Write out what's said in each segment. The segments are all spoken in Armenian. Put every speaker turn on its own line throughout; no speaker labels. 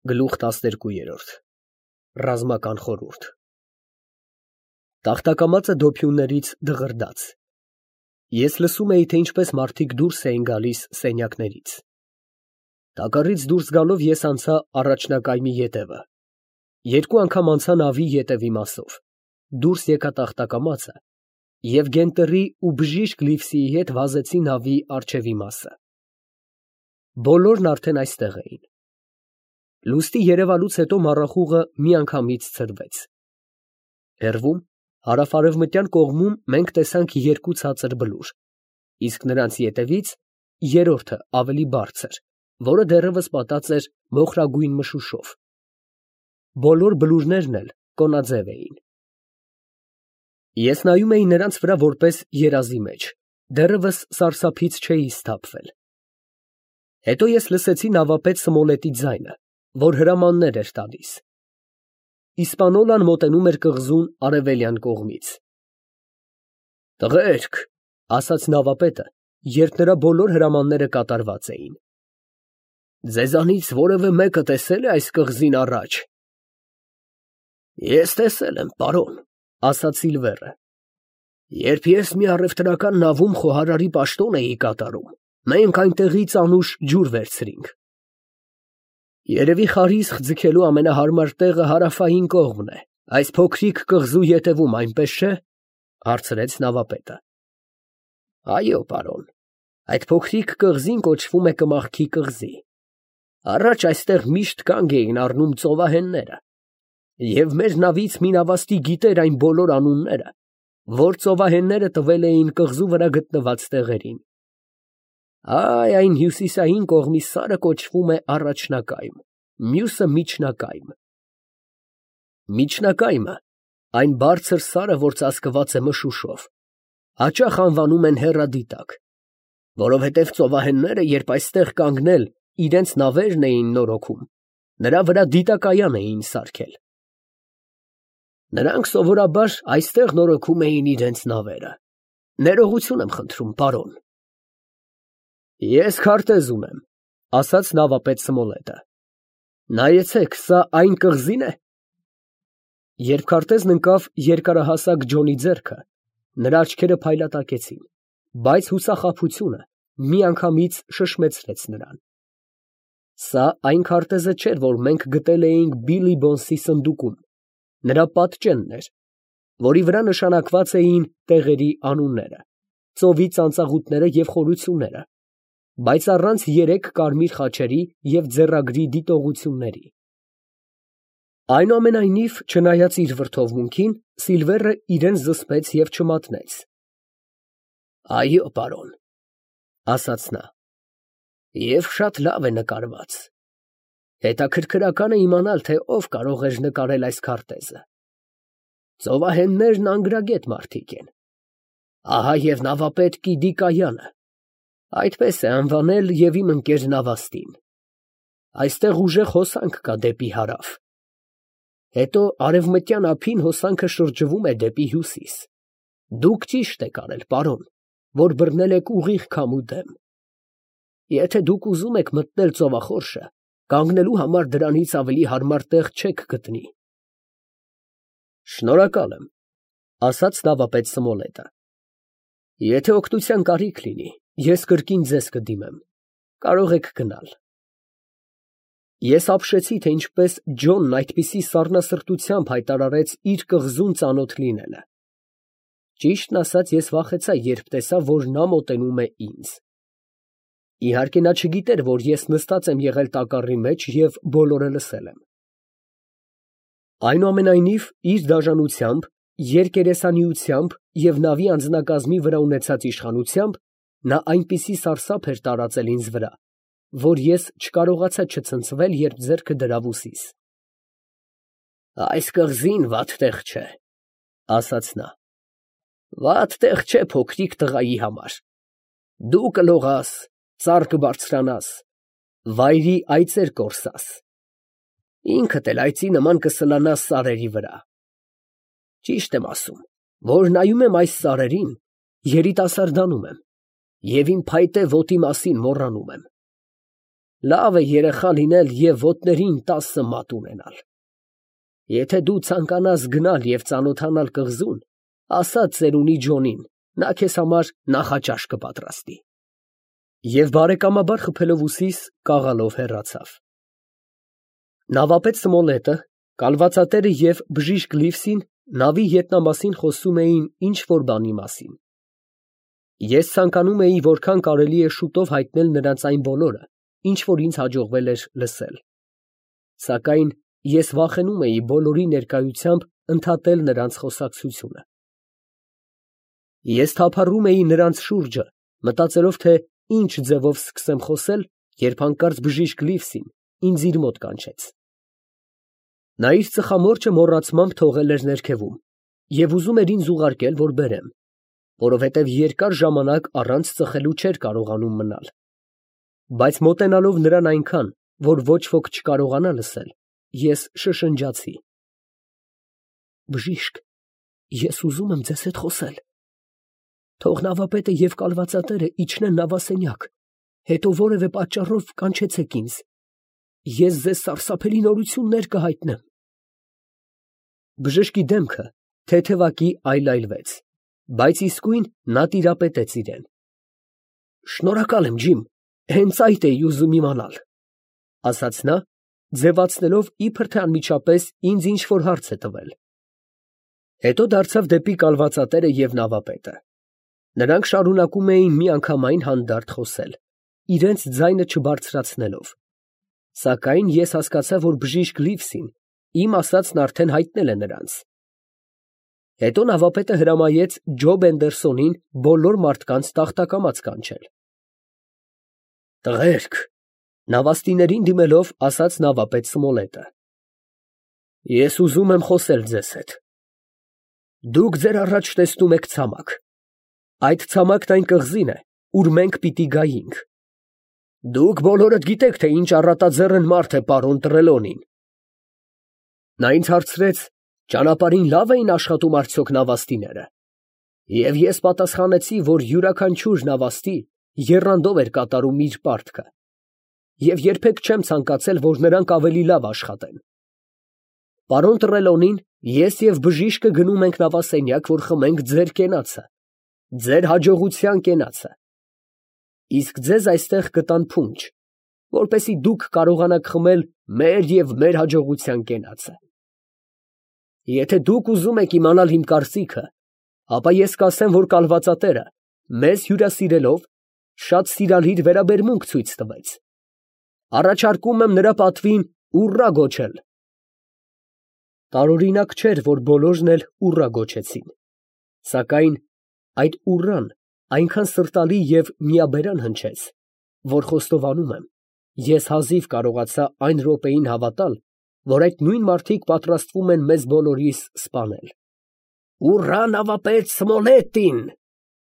Գլուխ 12 Ռազմական խորհուրդ Տախտակամածը դոփյուններից դղրդաց։ Ես լսում էի, թե ինչպես մարդիկ դուրս էին գալիս սենյակներից։ Տակառից դուրս գալով ես անցա առաջնակայմի ետևը։ Երկու անգամ անցա նավի ետևի մասով։ Դուրս եկա տախտակամածը և Գենտերի ու բժիշկ Լիվսիի հետ վազեցի նավի առջևի մասը։ Բոլորն արդեն այստեղ էին։ Լուստի երևալուց հետո մառախուղը միանգամից ցրվեց։ Հեռվում, հարավ-արևմտյան կողմում մենք տեսանք երկու ցածր բլուր, իսկ նրանց ետևից երրորդը ավելի բարձր, որը դեռևս պատած էր մոխրագույն մշուշով։ Բոլոր բլուրներն էլ կոնաձև էին։ Ես նայում էի նրանց վրա որպես երազի մեջ, դեռևս սարսափից չէի սթափվել։ Հետո ես լսեցի նավապետ Սմոլետի ձայնը, որ հրամաններ էր տալիս։ Իսպանոլան մոտենում էր կղզուն արևելյան կողմից։ «Տղերք», ասաց նավապետը, երբ նրա բոլոր հրամանները կատարված էին, «ձեզանից որևէ մեկը տեսե՞լ է այս կղզին առաջ»։ «Ես տեսել եմ, պարոն», ասաց Սիլվերը, «երբ ես մի առևտրական նավում խոհարարի պաշտոն էի կատարում, մենք այնտեղից անուշ ջուր վերցրինք»։ «Երևի խարիսխ ձգելու ամենահարմար տեղը հարավային կողմն է, այս փոքրիկ կղզու ետևում, այնպես չէ՞, հարցրեց նավապետը։ «Այո, պարոն, այդ փոքրիկ կղզին կոչվում է Կմախքի կղզի։ Առաջ այստեղ միշտ կանգ էին առնում ծովահենները, և մեր նավից մի նավաստի գիտեր այն բոլոր անունները, որ ծովահենները տվել էին կղզու վրա գտնված տեղերին։ Այն հյուսիսային կողմի սարը կոչվում է Առաջնակայմ, մյուսը Միջնակայմ։ Միջնակայմը, այն բարձր սարը, որ ծածկված է մշուշով, հաճախ անվանում են Հեռադիտակ, որովհետև ծովահենները, երբ այստեղ կանգնել իրենց նավերն էին նորոգում, նրա վրա դիտակայան էին սարքել։ Նրանք սովորաբար այստեղ նորոգում էին իրենց նավերը։ Ներողություն եմ խնդրում, պարոն։ Ես քարտեզ ունեմ, ասաց նավապետ Սմոլետը։ Նայեցեք, սա այն կղզին է։ Երբ քարտեզն ընկավ երկարահասակ Ջոնի ձեռքը, նրա աչքերը փայլատակեցին, բայց հուսախաբությունը միանգամից շշմեցրեց նրան։ Սա այն քարտեզը չէր, որ մենք գտել էինք Բիլի Բոնսի սնդուկում, նրա պատճենն էր, որի վրա նշանակված էին տեղերի անունները, ծովի ծանծաղուտները և խորությունները, բայց առանց 3 կարմիր խաչերի և ձեռագրի դիտողությունների։ Այնուամենայնիվ, չնայած իր վրդովմունքին, Սիլվերը իրեն զսպեց և չմատնեց։ Այո, պարոն, ասաց նա, և շատ լավ է նկարված։ Հետաքրքրական է իմանալ, թե ով կարող էր նկարել այս քարտեզը։ Ծովահեններն անգրագետ մարդիկ են։ Ահա և նավապետ Կիդի Կայանը, այդպես է անվանել և իմ ընկեր նավաստին։ Այստեղ ուժեղ հոսանք կա դեպի հարավ։ Հետո արևմտյան ափին հոսանքը շրջվում է դեպի հյուսիս։ Դուք ճիշտ եք արել, պարոն, որ բռնել եք ուղիղ քամու դեմ։ Եթե դուք ուզում եք մտնել ծովախորշը, կանգնելու համար դրանից ավելի հարմար տեղ չեք գտնի։ Շնորհակալ եմ, ասաց նավապետ Սմոլետը։ Եթե օգնության կարիք լինի, ես կրկին ձեզ կդիմեմ, կարող եք գնալ։ Ես ապշեցի, թե ինչպես Ջոնն այդպիսի սառնասրտությամբ հայտարարեց իր կղզուն ծանոթ լինելը։ Ճիշտն ասած, ես վախեցա, երբ տեսա, որ նա մոտենում է ինձ։ Իհարկե նա չգիտեր, որ ես նստած եմ եղել տակառի մեջ և բոլորը լսել եմ։ Այնուամենայնիվ, իր դաժանությամբ, երկերեսանիությամբ և նավի անձնակազմի վրա ունեցած իշխանությամբ, նա այնպիսի սարսափ էր տարածել ինձ վրա, որ ես չկարողացա չցնցվել, երբ ձեռքը դրավ ուսիս։ Այս կղզին վատ տեղ չէ, ասաց նա։ Վատ տեղ չէ փոքրիկ տղայի համար։ Դու կլողաս, ծառ կբարձրանաս, վայրի այծեր կորսաս, ինքդ էլ այծի նման կսլանաս սարերի վրա։ Ճիշտ եմ ասում, որ նայում եմ այս սարերին, երիտասարդանում եմ և իմ փայտե ոտի մասին մոռանում եմ։ Լավ է երեխա լինել և ոտներին 10 մատ ունենալ։ Եթե դու ցանկանաս գնալ և ծանոթանալ կղզուն, ասա ծերունի Ջոնին, նա քեզ համար նախաճաշ կպատրաստի։ Եվ բարեկամաբար խփելով ուսիս, կաղալով հեռացավ։ Նավապետ Սմոլետը, կալվածատերը և բժիշկ Լիվսին նավի ետնամասին խոսում էին ինչ֊որ բանի մասին։ Ես ցանկանում էի որքան կարելի է շուտով հայտնել նրանց այն բոլորը, ինչ որ ինձ հաջողվել էր լսել։ Սակայն ես վախենում էի բոլորի ներկայությամբ ընդհատել նրանց խոսակցությունը։ Ես թափառում էի նրանց շուրջը, մտածելով, թե ինչ ձևով սկսեմ խոսել, երբ հանկարծ բժիշկ Լիվսին ինձ իր մոտ կանչեց։ Նա իր ծխամորճը մոռացմամբ թողել էր ներքևում և ուզում էր ինձ ուղարկել, որ բերեմ, որովհետև երկար ժամանակ առանց ծխելու չէր կարողանում մնալ։ Բայց մոտենալով նրան այնքան, որ ոչ ոք չկարողանա լսել, ես շշնջացի. «Բժիշկ, ես ուզում եմ ձեզ հետ խոսել։ Թող նավապետը և կալվածատերը իջնեն նավասենյակ, հետո որևէ պատճառով կանչեցեք ինձ, ես ձեզ սարսափելի նորություններ կհայտնեմ»։ Բժշկի դեմքը թեթևակի այլայլվեց, բայց իսկույն նա տիրապետեց իրան։ «Շնորհակալ եմ, Ջիմ, հենց այդ էի ուզում իմանալ», ֊ ասաց նա, ձևացնելով, իբր թե անմիջապես ինձ ինչ֊որ հարց է տվել։ Հետո դարձավ դեպի կալվածատերը և նավապետը։ Նրանք շարունակում էին միանգամայն հանդարտ խոսել, իրենց ձայնը չբարձրացնելով։ Սակայն ես հասկացա, որ բժիշկ Լիվսին իմ ասածն արդեն հայտնել է նրանց։ Հետո նավապետը հրամայեց Ջոբ Էնդերսոնին բոլոր մարդկանց տախտակամաց կանչել։ «Տղերք», ֊ նավաստիներին դիմելով, ասաց նավապետ Սմոլետը, «ես ուզում եմ խոսել ձեզ հետ։ Դուք ձեր առաջ տեսնում եք ցամաք։ Այդ ցամաքն այն կղզին է, ուր մենք պիտի գայինք։ Դուք բոլորդ գիտեք, թե ինչ առատաձեռն մարդ է պարոն Տրելոնին»։ Նա ինձ հարցրեց, ճանապարհին լավ էին աշխատում արդյոք նավաստիները, և ես պատասխանեցի, որ յուրաքանչյուր նավաստի եռանդով էր կատարում իր պարտքը, և երբեք չեմ ցանկացել, որ նրանք ավելի լավ աշխատեն։ Պարոն Տրելոնին, ես և բժիշկը գնում ենք նավասենյակ, որ խմենք ձեր կենացը, ձեր հաջողության կենացը, իսկ ձեզ այստեղ կտան փունջ, որպեսզի դուք կարողանաք խմել մեր և մեր հաջողության կենացը։ Եթե դուք ուզում եք իմանալ իմ կարծիքը, ապա ես կասեմ, որ կալվածատերը մեզ հյուրասիրելով շատ սիրալիր վերաբերմունք ցույց տվեց։ Առաջարկում եմ նրա պատվին ուռա գոչել։ Տարօրինակ չէր, որ բոլորն էլ ուռա գոչեցին, սակայն այդ ուռան այնքան սրտալի և միաբերան հնչեց, որ խոստովանում եմ, ես հազիվ կարողացա այն րոպեին հավատալ, որ այդ նույն մարդիկ պատրաստվում են մեզ բոլորիս սպանել։ «Ուռա նավապետ Սմոլետին», ֊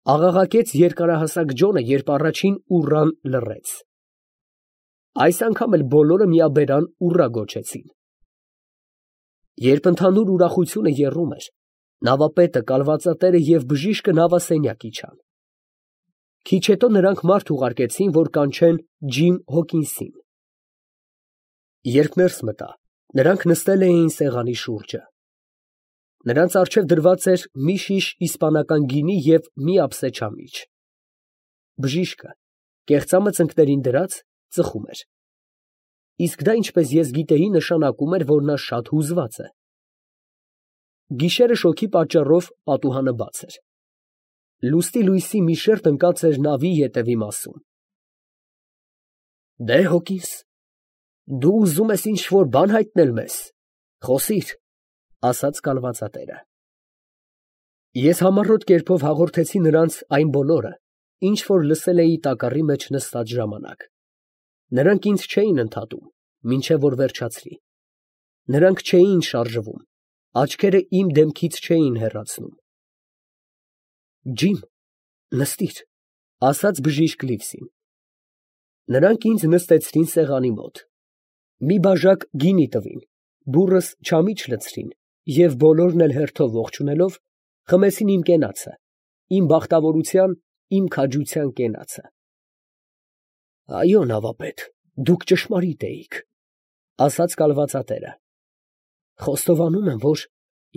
աղաղակեց երկարահասակ Ջոնը, երբ առաջին ուռան լռեց։ Այս անգամ էլ բոլորը միաբերան ուռա գոչեցին։ Երբ ընդհանուր ուրախությունը եռում էր, նավապետը, կալվածատերը և բժիշկը նավասենյակ իջան։ Քիչ հետո նրանք մարդ ուղարկեցին, որ կանչեն Ջիմ Հոքինսին։ Երբ ներս մտա, նրանք նստել էին սեղանի շուրջը։ Նրանց առջև դրված էր մի շիշ իսպանական գինի և մի ափսե չամիչ։ Բժիշկը, կեղծամը ծնկներին դրած, ծխում էր։ Իսկ դա, ինչպես ես գիտեի, նշանակում էր, որ նա շատ հուզված է։ Գիշերը շոգի պատճառով պատուհանը բաց էր։ Լուստի լույսի մի շերջ ընկած էր նավի ետևի մասում։ «Դե, Հոկինս, դու ուզում ես ինչ֊որ բան հայտնել մեզ, խոսիր», ֊ ասաց կալվածատերը։ Ես համառոտ կերպով հաղորդեցի նրանց այն բոլորը, ինչ որ լսել էի տակառի մեջ նստած ժամանակ։ Նրանք ինձ չէին ընդհատում, մինչև որ վերջացրի։ Նրանք չէին շարժվում, աչքերը իմ դեմքից չէին հեռացնում։ «Ջիմ, նստիր», ֊ ասաց բժիշկ Լիվսին։ Նրանք ինձ նստեցրին սեղանի մոտ։ Մի բաժակ գինի տվին, բուռս չամիչ լցրին և բոլորն էլ հերթով ողջունելով, խմեցին իմ կենացը, իմ բախտավորության, իմ քաջության կենացը։ «Այո, նավապետ, Դուք ճշմարիտ էիք, ասաց կալվածատերը։ Խոստովանում եմ, որ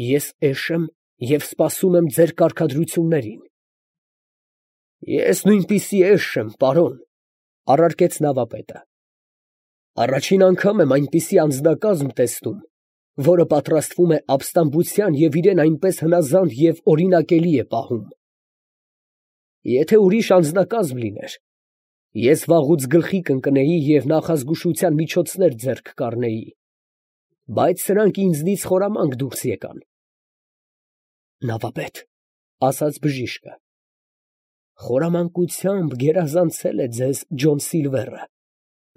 ես էշ եմ և սպասում եմ ձեր կարգադրություններին։ Ես նույնպիսի էշ եմ, պարոն, առարկեց նավապետը։ Առաջին անգամ եմ այնպիսի անձնակազմ տեսնում, որը պատրաստվում է ապստամբության և իրեն այնպես հնազանդ և օրինակելի է պահում։ Եթե ուրիշ անձնակազմ լիներ, ես վաղուց գլխի կընկնեի և նախազգուշության միջոցներ ձեռք կառնեի, բայց սրանք ինձնից խորամանկ դուրս եկան։ Նավապետ, ասաց բժիշկը, խորամանկությամբ գերազանցել է ձեզ Ջոն Սիլվերը,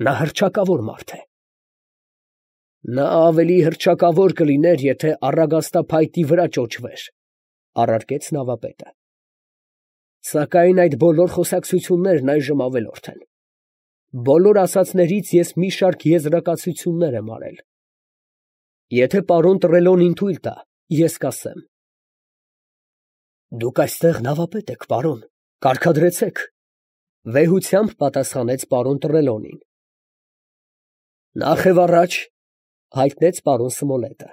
նա հռչակավոր մարդ է։ Նա ավելի հռչակավոր կլիներ, եթե առագաստափայտի վրա ճոճվեր, առարկեց նավապետը։ Սակայն այդ բոլոր խոսակցություններն այժմ ավելորդ են։ Բոլոր ասածներից ես մի շարք եզրակացություններ եմ արել։ Եթե պարոն Տրելոնին թույլ տա, ես կասեմ։ Դուք այստեղ նավապետ եք, պարոն, կարգադրեցեք, վեհությամբ պատասխանեց պարոն Տրելոնին։ Նախ և առաջ, հայտնեց պարոն Սմոլետը,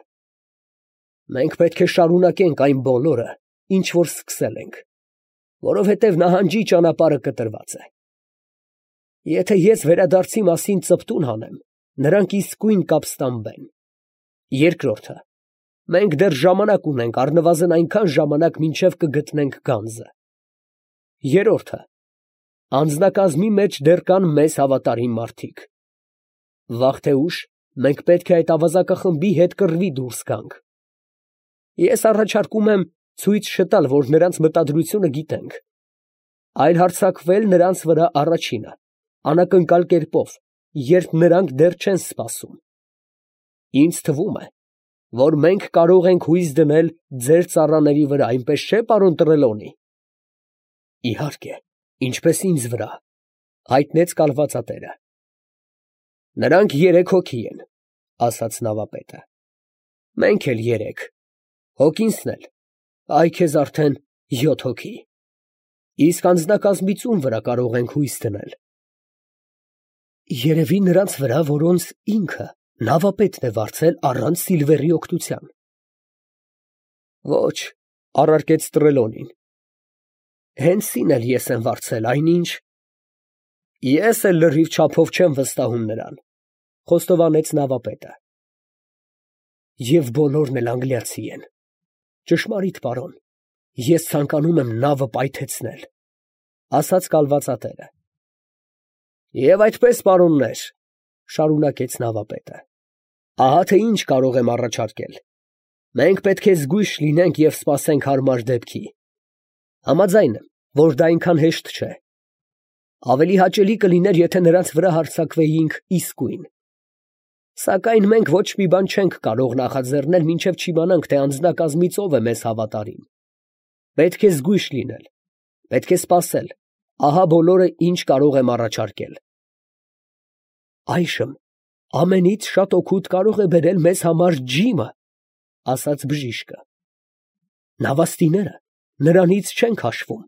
մենք պետք է շարունակենք այն բոլորը, ինչ որ սկսել ենք, որովհետև նահանջի ճանապարհը կտրված է։ Եթե ես վերադարձի մասին ծպտուն հանեմ, նրանք իսկույն կապստամբեն։ Երկրորդը, մենք դեռ ժամանակ ունենք, առնվազն այնքան ժամանակ, մինչև կգտնենք գանձը։ Երրորդը, անձնակազմի մեջ դեռ կան մեզ հավատարիմ մարդիկ։ Վաղ թե ուշ մենք պետք է այդ ավազակախմբի հետ կռվի դուրս գանք։ Ես առաջարկում եմ ցույց չտալ, որ նրանց մտադրությունը գիտենք, այլ հարձակվել նրանց վրա առաջինը, անակնկալ կերպով, երբ նրանք դեռ չեն սպասում։ Ինձ թվում է, որ մենք կարող ենք հույս դնել ձեր ծառաների վրա, այնպես չէ՞, պարոն Տրելոնի։ Իհարկե, ինչպես ինձ վրա, հայտնեց կալվածատերը։ Նրանք 3 հոգի են, ասաց նավապետը։ Մենք էլ 3, հոգինսն էլ, այ քեզ արդեն 7 հոգի։ Իսկ անձնակազմից ում վրա կարող ենք հույս դնել։ Երևի նրանց վրա, որոնց ինքը նավապետն է վարձել առանց Սիլվերի օգնության։ Ոչ, առարկեց Տրելոնին։ Հենսին էլ ես եմ վարձել, այնինչ։ Ես էլ լրիվ չափով չեմ վստահում նրան, խոստովանեց նավապետը։ Եվ բոլորն էլ անգլիացի են։ Ճշմարիտ, պարոն, ես ցանկանում եմ նավը պայթեցնել, ասաց կալվածատերը։ Եվ այդպես, պարոններ, շարունակեց նավապետը, ահա թե ինչ կարող եմ առաջարկել։ Մենք պետք է զգույշ լինենք և սպասենք հարմար դեպքի։ Համաձայն եմ, որ դա այնքան հեշտ չէ։ Ավելի հաճելի կլիներ, եթե նրանց վրա հարձակվեինք իսկույն։ Սակայն մենք ոչ մի բան չենք կարող նախաձեռնել, մինչև չիմանանք, թե անձնակազմից ով է մեզ հավատարիմ։ Պետք է զգույշ լինել, պետք է սպասել, ահա բոլորը, ինչ կարող եմ առաջարկել։ Այժմ ամենից շատ օգուտ կարող է բերել մեզ համար ջիմը, ասաց բժիշկը։ Նավաստիները նրանից չեն քաշվում,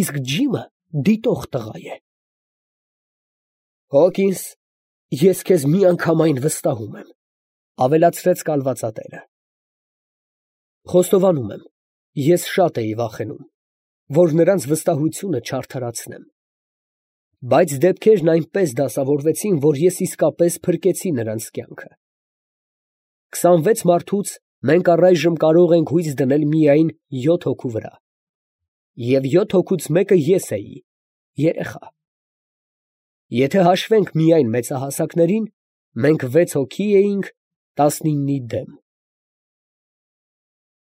իսկ ջիմը դիտող տղա է։ Հոկինս, ես քեզ միանգամայն վստահում եմ, ավելացրեց կալվածատերը։ Խոստովանում եմ, ես շատ էի վախենում, որ նրանց վստահությունը չարդարացնեմ։ Բայց դեպքերն այնպես դասավորվեցին, որ ես իսկապես փրկեցի նրանց կյանքը։ 26 մարդուց մենք առայժմ կարող ենք հույս դնել միայն 7 հոգու վրա։ Եվ 7 հոգուց մեկը ես էի, երեխա։ Եթե հաշվենք միայն մեծահասակներին, մենք 6 հոգի էինք 19-ի դեմ։